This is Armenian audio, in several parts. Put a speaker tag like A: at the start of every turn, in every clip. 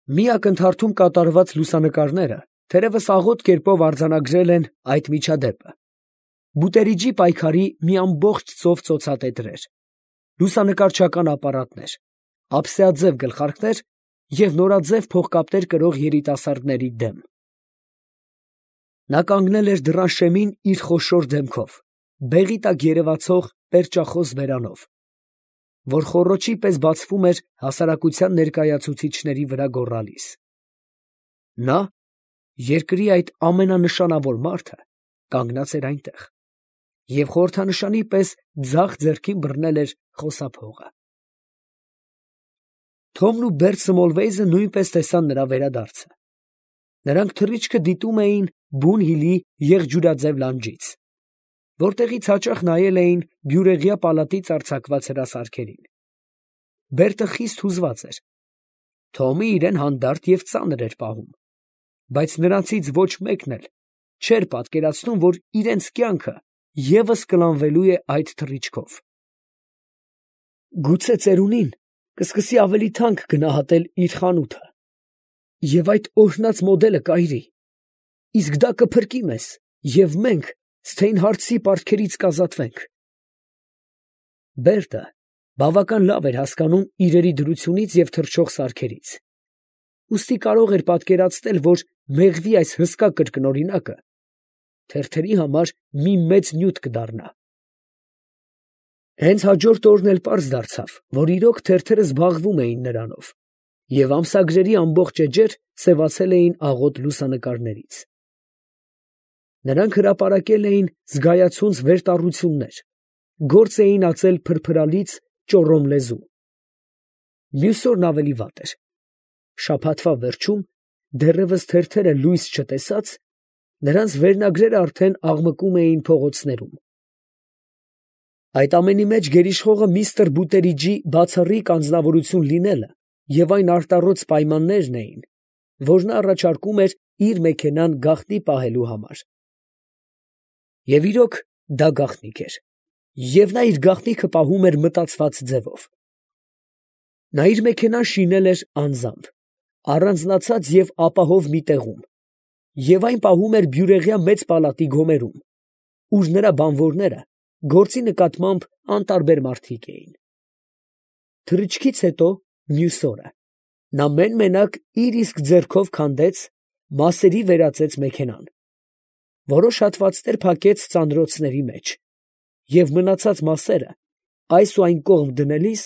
A: Մի ակնթարթում կատարված լուսանկարները թերևս աղոտ կերպով արձանագրել են այդ միջադեպը. Բուտերիջի պայքարի մի ամբողջ ծով ծոցատետրեր, լուսանկարչական ապարատներ, ափսեաձև գլխարկներ և նորաձև փողկապներ կրող երիտասարդների դեմ։ Նա կանգնել էր դռան շեմին իր խոշոր դեմքով, բեղի տակ երևացող պերճախոս բերանով, որ խոռոչի պես բացվում էր հասարակության ներկայացուցիչների վրա գոռալիս։ Նա, երկրի այդ ամենանշանավոր մարդը, կանգնած էր այնտեղ և խորհրդանշանի պես ձախ ձեռքին բռնել էր խոսափողը։ Թոմն ու Բերտ Սմոլվեյզը նույնպես տեսան նրա վերադարձը. նրանք թռիչքը դիտում էին բուն հիլի եղջյուրաձև լանջից, որտեղից հաճախ նայել էին բյուրեղյա պալատից արձակված հրասարքերին։ Բերտը խիստ հուզված էր. Թոմը իրան հանդարտ և ծանր էր պահում, բայց նրանցից ոչ մեկն էլ չէր պատկերացնում, որ իրենց կյանքը ևս կլանվելու է այդ թռիչքով։ Գուցե ծերունին կսկսի ավելի թանկ գնահատել իր խանութը, և այդ օրհնած մոդելը կայրի, իսկ դա կփրկի մեզ, և մենք Սթեյնհարթսի պարտքերից կազատվենք։ Բերտը բավական լավ էր հասկանում իրերի դրությունից և թռչող սարքերից, ուստի կարող էր պատկերացնել, որ մեղվի այս հսկա կրկնօրինակը թերթերի համար մի մեծ նյութ կդառնա։ Հենց հաջորդ օրն էլ պարզ դարձավ, որ իրոք թերթերը զբաղվում էին նրանով, և ամսագրերի ամբողջ էջեր սևացել էին աղոտ լուսանկարներից։ Նրանք հրապարակել էին զգայացունց վերտառություններ, գործ էին ածել փրփրալից ճոռոմ լեզու։ Մյուս օրն ավելի վատ էր. շաբաթվա վերջում, դեռևս թերթերը լույս չտեսած, նրանց վերնագրերը արդեն աղմկում էին փողոցներում։ Այդ ամենի մեջ գերիշխողը միստր Բուտերիջի բացառիկ անձնավորություն լինելը և այն արտառոց պայմաններն էին, որ նա առաջարկում էր իր մեքենան գաղտնի պահելու համար։ Եվ իրոք դա գաղտնիք էր, և նա իր գաղտնիքը պահում էր մտածված ձևով։ Նա իր մեքենան շինել էր անձամբ, առանձնացած և ապահով մի տեղում, և այն պահում էր բյուրեղյա մեծ պալատի գոմերում, ուր նրա բանվորները գործի նկատմամբ անտարբեր մարդիկ էին։ Թռիչքից հետո, մյուս օրը, նա մեն֊մենակ իր իսկ ձեռքով քանդեց, մասերի վերածեց մեքենան, որոշ հատվածներ փակեց ծանրոցների մեջ և մնացած մասերը այս ու այն կողմ դնելիս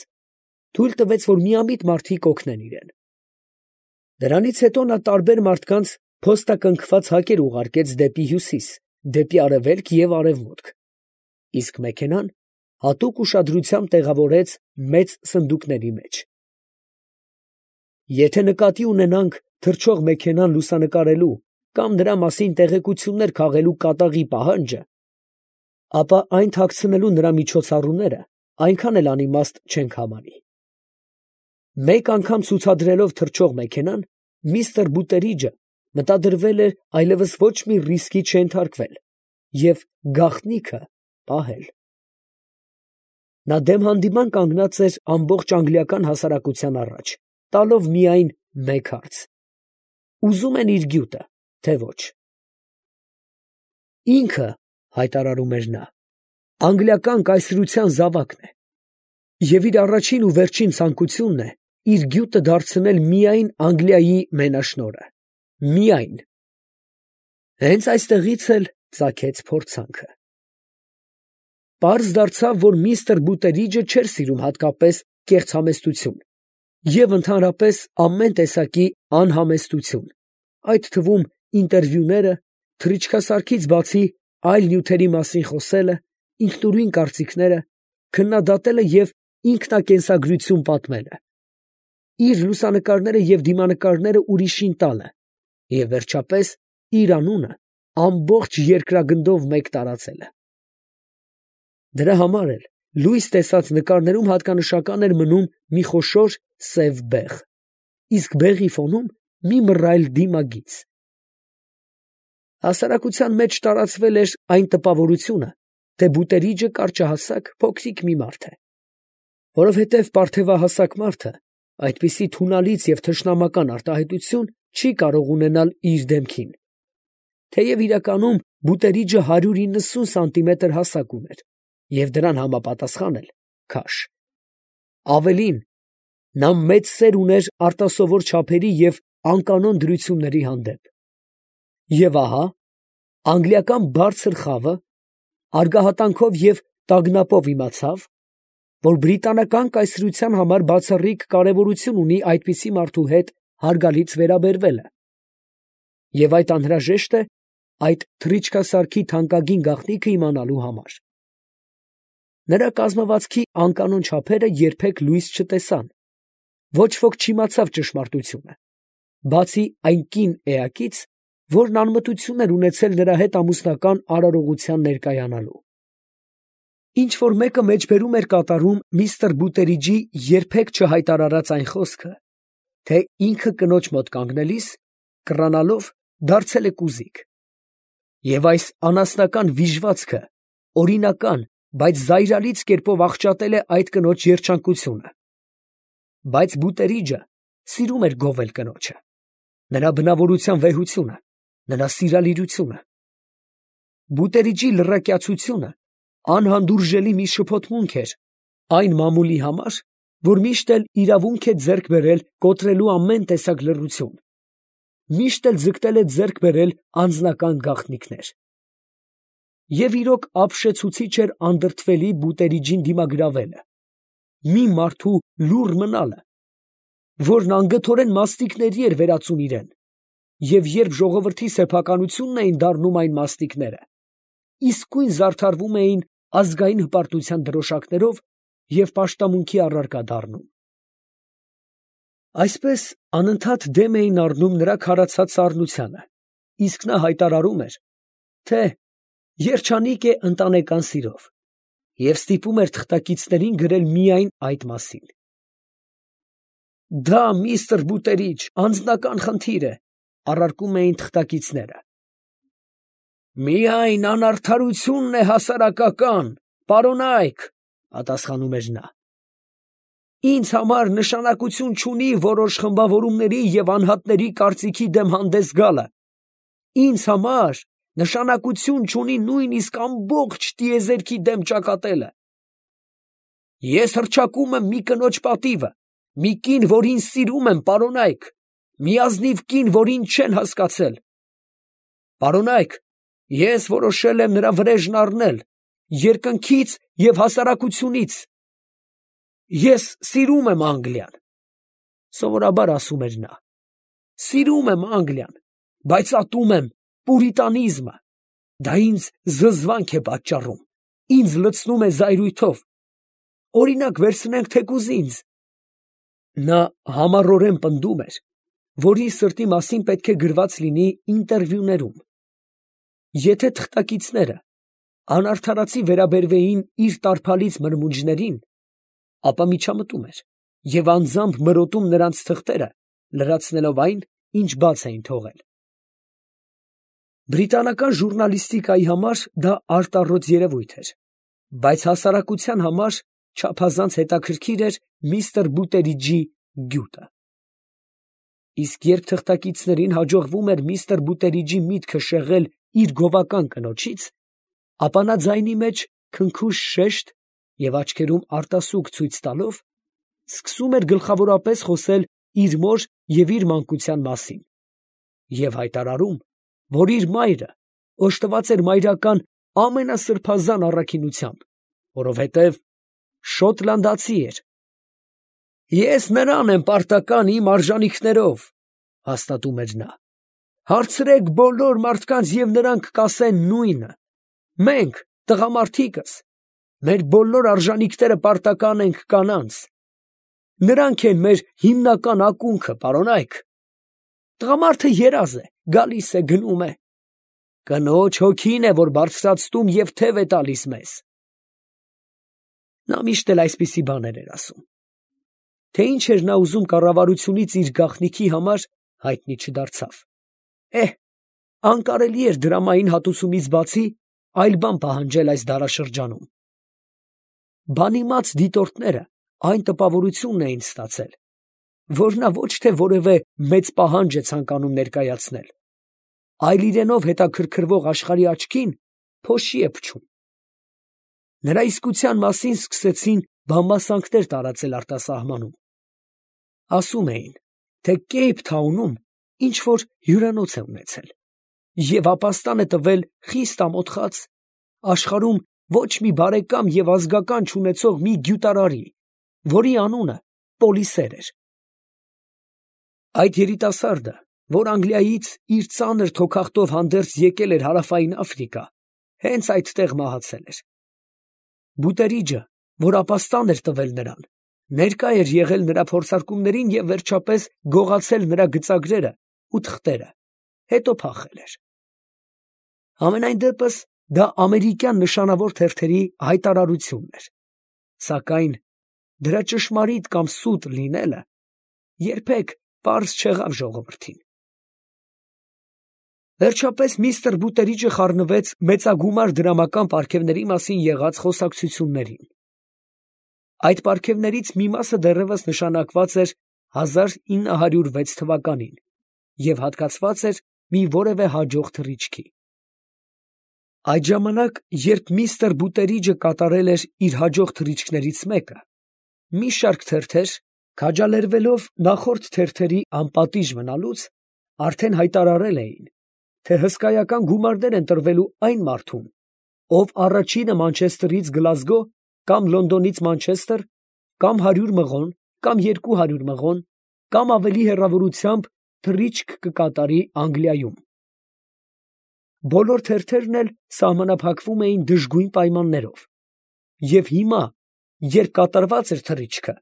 A: թույլ տվեց, որ միամիտ մարդիկ օգնեն իրան։ Դրանից հետո նա տարբեր մարդկանց փոստակնքված հակեր ուղարկեց դեպի հյուսիս, դեպի արևելք և արևմուտք, իսկ մեքենան հատուկ ուշադրությամբ տեղավորեց մեծ սնդուկների մեջ։ Եթե նկատի ունենանք թռչող մեքենան լուսանկարելու կամ նրա մասին տեղեկություններ քաղելու կատաղի պահանջը, ապա այն թաքցնելու նրա միջոցառումները այնքան էլ անիմաստ չենք համարի։ Մեկ անգամ ցուցադրելով թռչող մեքենան, միստր Բուտերիջը մտադրվել էր այլևս ոչ մի ռիսկի չենթարկվել և գաղտնիքը պահել։ Նա դեմ հանդիման կանգնած էր ամբողջ անգլիական հասարակության առաջ, տալով միայն մեկ հարց. ուզում են իր գյուտը, թե ոչ։ Ինքը, հայտարարում էր նա, անգլիական կայսրության զավակն է, և իր առաջին ու վերջին ցանկությունն է իր գյուտը դարձնել միայն Անգլիայի մենաշնորհը, միայն։ Հենց այստեղից էլ ծագեց փորձանքը։ Պարզ դարձավ, որ միստր Բուտերիջը չէր սիրում հատկապես կեղծհամեստություն և ընդհանրապես ամեն տեսակի անհամեստություն, այդ թվում ինտերվյուները, թռիչքասարքից բացի այլ նյութերի մասին խոսելը, ինքնուրույն կարծիքները, քննադատելը և ինքնակենսագրություն պատմելը, իր լուսանկարները և դիմանկարները ուրիշին տալը և վերջապես իր անունը ամբողջ երկրագնդով մեկ տարածելը։ Դրա համար էլ լույս տեսած նկարներում հատկանշական էր մնում մի խոշոր սև բեղ, իսկ բեղի ֆոնում մի մռայլ դիմագիծ։ Հասարակության մեջ տարածվել էր այն տպավորությունը, թե Բուտերիջը կարճահասակ, փոքրիկ մի մարդ է, որովհետև պարթևահասակ մարդը այդպիսի թունալից և թշնամական արտահայտություն չի կարող ունենալ իր դեմքին. թեև իրականում Բուտերիջը 190 սանտիմետր հասակ ուներ և դրան համապատասխան էլ քաշ. ավելին, նա մեծ սեր ուներ արտասովոր չափերի և անկանոն դրությունների հանդեպ։ Եվ ահա, անգլիական բարձր խավը արգահատանքով և տագնապով իմացավ, որ բրիտանական կայսրության համար բացառիկ կարևորություն ունի այդպիսի մարդու հետ հարգալից վերաբերվելը, և այդ անհրաժեշտ է այդ թռիչքասարքի թանկագին գաղտնիքը իմանալու համար։ Նրա կազմվածքի անկանոն չափերը երբեք լույս չտեսան, ոչ ոք չիմացավ ճշմարտությունը, բացի այն կին էակից, որն անմտություն էր ունեցել նրա հետ ամուսնական արարողության ներկայանալու։ Ինչ որ մեկը մեջբերում էր կատարում միստր Բուտերիջի երբեք չհայտարարած այն խոսքը, թե ինքը կնոջ մոտ կանգնելիս, կռանալով, դարձել է կուզիկ, և այս անասնական վիժվածքը օրինական, բայց զայրալից կերպով աղճատել է այդ կնոջ երջանկությունը։ Բայց Բուտերիջը սիրում էր գովել կնոջը, նրա բնավորության վեհությունը, նրա սիրալիրությունը։ Բուտերիջի լռակյացությունը անհանդուրժելի մի շփոթմունք էր այն մամուլի համար, որ միշտ էլ իրավունք է ձեռք բերել կոտրելու ամեն տեսակ լռություն, միշտ էլ ձգտել է ձեռք բերել անձնական գաղտնիքներ։ Եվ իրոք ապշեցուցիչ էր անդրդվելի Բուտերիջին դիմագրավելը, մի մարդու լուռ մնալը, որն անգթորեն մաստիկների էր վերածում իրեն, և երբ ժողովրդի սեփականությունն էին դառնում այն մաստիկները, իսկույն զարդարվում էին ազգային հպարտության դրոշակներով և պաշտամունքի առարկա դառնում։ Այսպես անընդհատ դեմ էին առնում նրա քարացած սառնությանը, իսկ նա հայտարարում էր, թե երջանիկ է ընտանեկան սիրով, և ստիպում էր թղթակիցներին գրել միայն այդ մասին։ «Դա, միստր Բուտերիջ, անձնական խնդիր է», առարկում էին թղթակիցները։ «Միայն անարդարությունն է հասարակական, պարոնայք», պատասխանում էր նա։ «Ինձ համար նշանակություն չունի որոշ խմբավորումների և անհատների կարծիքի դեմ հանդես գալը, ինձ համար նշանակություն չունի նույնիսկ ամբողջ տիեզերքի դեմ ճակատելը։ Ես հռչակում եմ մի կնոջ պատիվը, մի կին, որին սիրում եմ, պարոնայք, մի ազնիվ կին, որին չեն հասկացել։ Պարոնայք, ես որոշել եմ նրա վրեժն առնել, երկնքից և հասարակությունից։ Ես սիրում եմ Անգլիան», սովորաբար ասում էր նա, «սիրում եմ Անգլիան, բայց ատում եմ պուրիտանիզմը, դա ինձ զզվանք է պատճառում, ինձ լցնում է զայրույթով, օրինակ վերցնենք թեկուզ ինձ»։ Նա համառորեն պնդում էր, որ իր սրտի մասին պետք է գրված լինի ինտերվյուներում։ Եթե թղթակիցները անարդարացի վերաբերվեին իր տարփալից մրմունջներին, ապա միջամտում էր և անձամբ մրոտում նրանց թղթերը, լրացնելով այն, ինչ բաց էին թողել։ Բրիտանական ժուռնալիստիկայի համար դա արտառոց երևույթ էր, բայց հասարակության համար չափազանց հետաքրքիր էր միստր Բուտերիջի գյուտը։ Իսկ երբ թղթակիցներին հաջողվում էր միստր Բուտերիջի միտքը շեղել իր գովական կնոջից, ապա նա ձայնի մեջ քնքուշ շեշտ և աչքերում արտասուք ցույց տալով, սկսում էր գլխավորապես խոսել իր մոր և իր մանկության մասին և հայտարարում, որ իր մայրը օժտված էր մայրական ամենասրբազան առաքինությամբ, որովհետև շոտլանդացի էր։ «Ես նրան եմ պարտական իմ արժանիքներով», հաստատում էր նա։ «Հարցրեք բոլոր մարդկանց, և նրանք կասեն նույնը. մենք, տղամարդիկս, մեր բոլոր արժանիքները պարտական ենք կանանց։ Նրանք են մեր հիմնական ակունքը, պարոնայք։ Տղամարդը երազ է, գալիս է, գնում է։ Կնոջ հոգին է, որ բարձրացնում և թև է տալիս մեզ»։ Նա միշտ էլ այսպիսի բաներ էր ասում։ Թե ինչ էր նա ուզում կառավարությունից իր գաղտնիքի համար, հայտնի չդարձավ։ Անկարելի էր դրամային հատուցումից բացի այլ բան պահանջել այս դարաշրջանում։ Բանիմաց դիտորդները այն տպավորությունն էին ստացել, որ նա ոչ թե որևէ մեծ պահանջ է ցանկանում ներկայացնել, այլ իրենով հետաքրքրվող աշխարհի աչքին փոշի է փչում։ Նրա իսկության մասին սկսեցին բամբասանքներ տարածել արտասահմանում։ Ասում էին, թե Քեյփթաունում ինչ որ հյուրանոց է ունեցել և ապաստան է տվել խիստ ամոթխած աշխարհում ոչ մի բարեկամ և ազգական չունեցող մի գյուտարարի, որի անունը Պոլիսեր էր։ Այդ երիտասարդը, որ Անգլիայից իր ծանր թոքախտով հանդերձ եկել էր Հարավային Աֆրիկա, հենց այդտեղ մահացել էր։ Բուտերիջը, որ ապաստան էր տվել նրան, ներկա էր եղել նրա փորձարկումներին և վերջապես գողացել նրա գծագրերը ու թղթերը, հետո փախել էր։ Համենայն դեպս դա ամերիկյան նշանավոր թերթերի հայտարարությունն էր, սակայն դրա ճշմարիտ կամ սուտ լինելը երբեք պարզ չեղավ ժողովրդին։ Վերջապես միստր Բուտերիջը խառնվեց մեծագումար դրամական պարգևների մասին եղած խոսակցություններին։ Այդ պարգևներից մի մասը դեռևս նշանակված էր 1906 թվականին և հատկացված էր մի որևէ հաջող թռիչքի։ Այդ ժամանակ, երբ միստր Բուտերիջը կատարել էր իր հաջող թռիչքներից մեկը, մի շարք թերթեր, քաջալերվելով նախորդ թերթերի անպատիժ մնալուց, արդեն հայտարարել էին, թե հսկայական գումարներ են տրվելու այն մարդուն, ով առաջինը Մանչեսթերից Գլազգո կամ Լոնդոնից Մանչեսթեր, կամ 100 մղոն, կամ 200 մղոն, կամ ավելի հեռավորությամբ թռիչք կկատարի Անգլիայում։ Բոլոր թերթերն էլ սահմանափակվում էին դժգույն պայմաններով, և հիմա, երբ կատարված էր թռիչքը,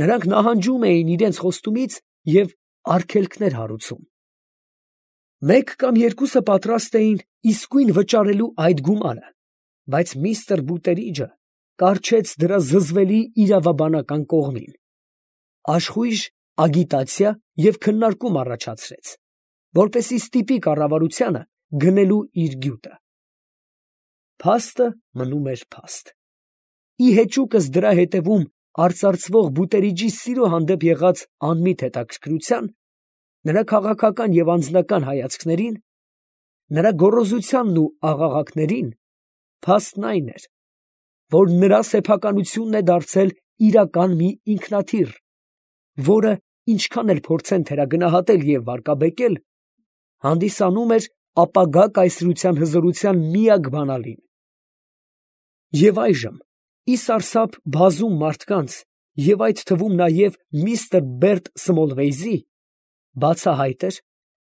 A: նրանք նահանջում էին իրենց խոստումից և արգելքներ հարուցում։ Մեկ կամ երկուսը պատրաստ էին իսկույն վճարելու այդ գումարը, բայց միստր Բուտերիջը կառչեց դրա զզվելի իրավաբանական կողմին, աշխույժ ագիտացիա և քննարկում առաջացրեց, որպեսզի ստիպի կառավարությանը գնելու իր գյուտը։ Փաստը մնում էր փաստ։ Ի հեճուկս դրա հետևում արծարծվող Բուտերիջի սիրո հանդեպ եղած անմիտ հետաքրքրության, նրա քաղաքական և անձնական հայացքներին, նրա գոռոզությանն ու աղաղակներին, փաստն այն էր, որ նրա սեփականությունն է դարձել իրական մի ինքնաթիռ, որը, ինչքան էլ փորձեն թերագնահատել և վարկաբեկել, հանդիսանում էր ապագա կայսրության հզորության միակ բանալին։ Եվ այժմ, ի սարսափ բազում մարդկանց և այդ թվում նաև միստր Բերտ Սմոլվեյզի, բացահայտ էր,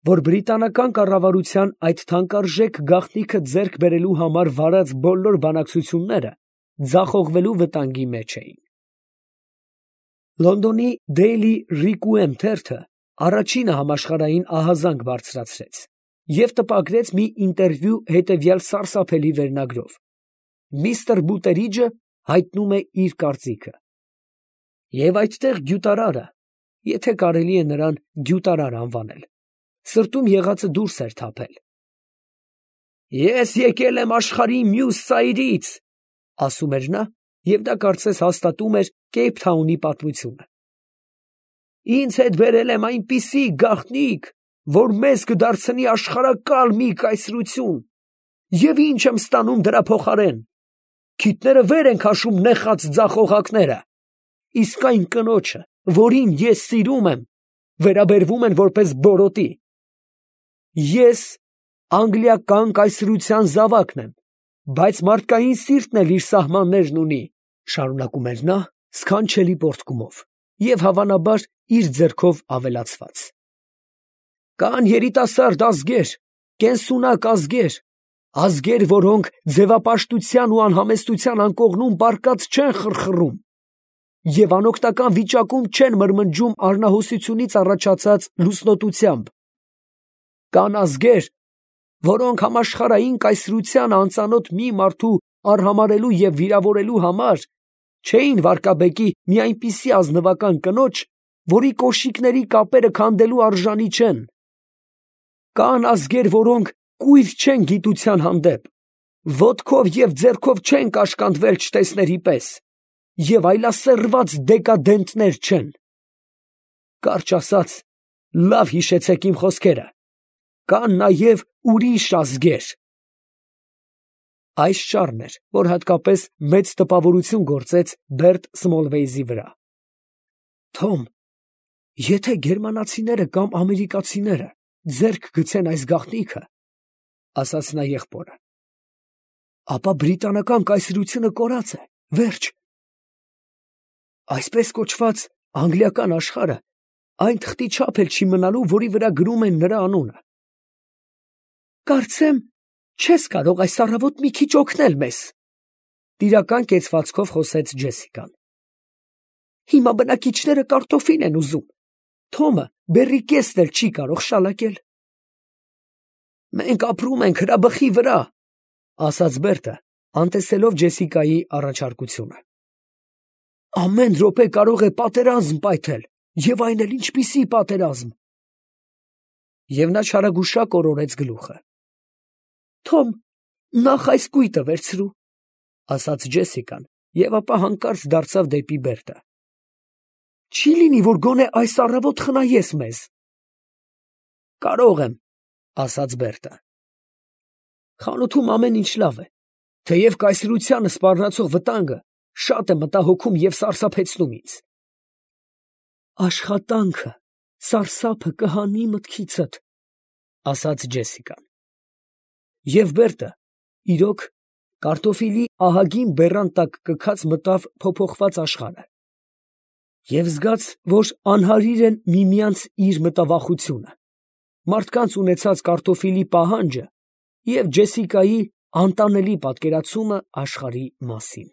A: որ բրիտանական կառավարության այդ թանկարժեք գաղտնիքը ձեռք բերելու համար վարած բոլոր բանակցությունները ձախողվելու վտանգի մեջ էին։ Լոնդոնի Daily Requiem թերթը առաջինը համաշխարհային ահազանգ բարձրացրեց և տպագրեց մի ինտերվյու հետևյալ սարսափելի վերնագրով. «Միստր Բուտերիջը հայտնում է իր կարծիքը»։ Եվ այդտեղ գյուտարարը, եթե կարելի է նրան գյուտարար անվանել, սրտում եղածը դուրս էր թափել։ «Ես եկել եմ աշխարհի մյուս ծայրից», ասում էր նա, և դա կարծես հաստատում էր Քեյփթաունի պատմությունը։ «Ինձ հետ բերել եմ այնպիսի գաղտնիք, որ մեզ կդարձնի աշխարհակալ մի կայսրություն, և ի՞նչ եմ ստանում դրա փոխարեն. քիթները վեր են քաշում նեխած ձախողակները, իսկ այն կնոջը, որին ես սիրում եմ, վերաբերվում են որպես բորոտի։ Ես անգլիական կայսրության զավակն եմ, բայց մարդկային սիրտն էլ իր սահմաններն ունի», շարունակում էր նա սքանչելի պոռթկումով և հավանաբար իր ձեռքով ավելացված։ «Կան երիտասարդ ազգեր, կենսունակ ազգեր, ազգեր, որոնք ձևապաշտության ու անհամեստության անկողնում պառկած չեն խռխռում և անօգնական վիճակում չեն մրմնջում առնահոսությունից առաջացած լուսնոտությամբ։ Կան ազգեր, որոնք համաշխարհային կայսրությանը անծանոթ մի մարդու արհամարհելու և վիրավորելու համար չէին վարկաբեկի մի այնպիսի ազնվական կնոջ, որի կոշիկների կապերը քանդելու արժանի չեն։ Կան ազգեր, որոնք կույր չեն գիտության հանդեպ, ոտքով և ձեռքով չեն կաշկանդվել չտեսների պես և այլասերված դեկադենտներ չեն։ Կարճ ասած, լավ հիշեցեք իմ խոսքերը, կան նաև ուրիշ ազգեր։ Այս շարն էր, որ հատկապես մեծ տպավորություն գործեց Բերտ Սմոլվեյզի վրա։ Թոմ, եթե գերմանացիները կամ ամերիկացիները ձեռք գցեն այս գաղտնիքը, ասաց նա եղբորը, ապա բրիտանական կայսրությունը կորած է, վերջ։ Այսպես կոչված անգլիական աշխարհը այն թղթի չափ էլ չի մնալու, որի վրա գրում են նրա անունը։ Կարծեմ, չես կարող այս առավոտ մի քիչ օգնել մեզ, տիրական կեցվածքով խոսեց Ջեսիկան։ Հիմա բնակիչները կարտոֆիլ են ուզում, Թոմը բեռի կեսն էլ չի կարող շալակել։ Մենք ապրում ենք հրաբխի վրա, ասաց Բերտը, անտեսելով Ջեսիկայի առաջարկությունը։ Ամեն րոպե կարող է պատերազմ պայթել, եւ այն էլ ինչպիսի պատերազմ։ Եվ նա չարագուշակ օրորեց գլուխը։ Թոմ, նախ այս կույտը վերցրու, ասաց Ջեսիկան, եւ ապա հանկարծ դարձավ դեպի Բերտը։ Չի լինի, որ գոնե այս առավոտ խնայես մեզ։ Կարող եմ, ասաց Բերտը։ Խանութում ամեն ինչ լավ է, թեև կայսրությանը սպառնացող վտանգը շատ է մտահոգում եւ սարսափեցնում ինձ։ Աշխատանքը, սարսափը կհանի մտքիցդ, ասաց Ջեսիկան։ Եվ Բերտը, իրոք, կարտոֆիլի ահագին բեռան տակ կքած մտավ փոփոխված աշխարհը։ Եվ զգաց, որ անհարիր են միմյանց իր մտավախությունը, մարդկանց ունեցած կարտոֆիլի պահանջը և Ջեսիկայի անտանելի պատկերացումը աշխարհի մասին։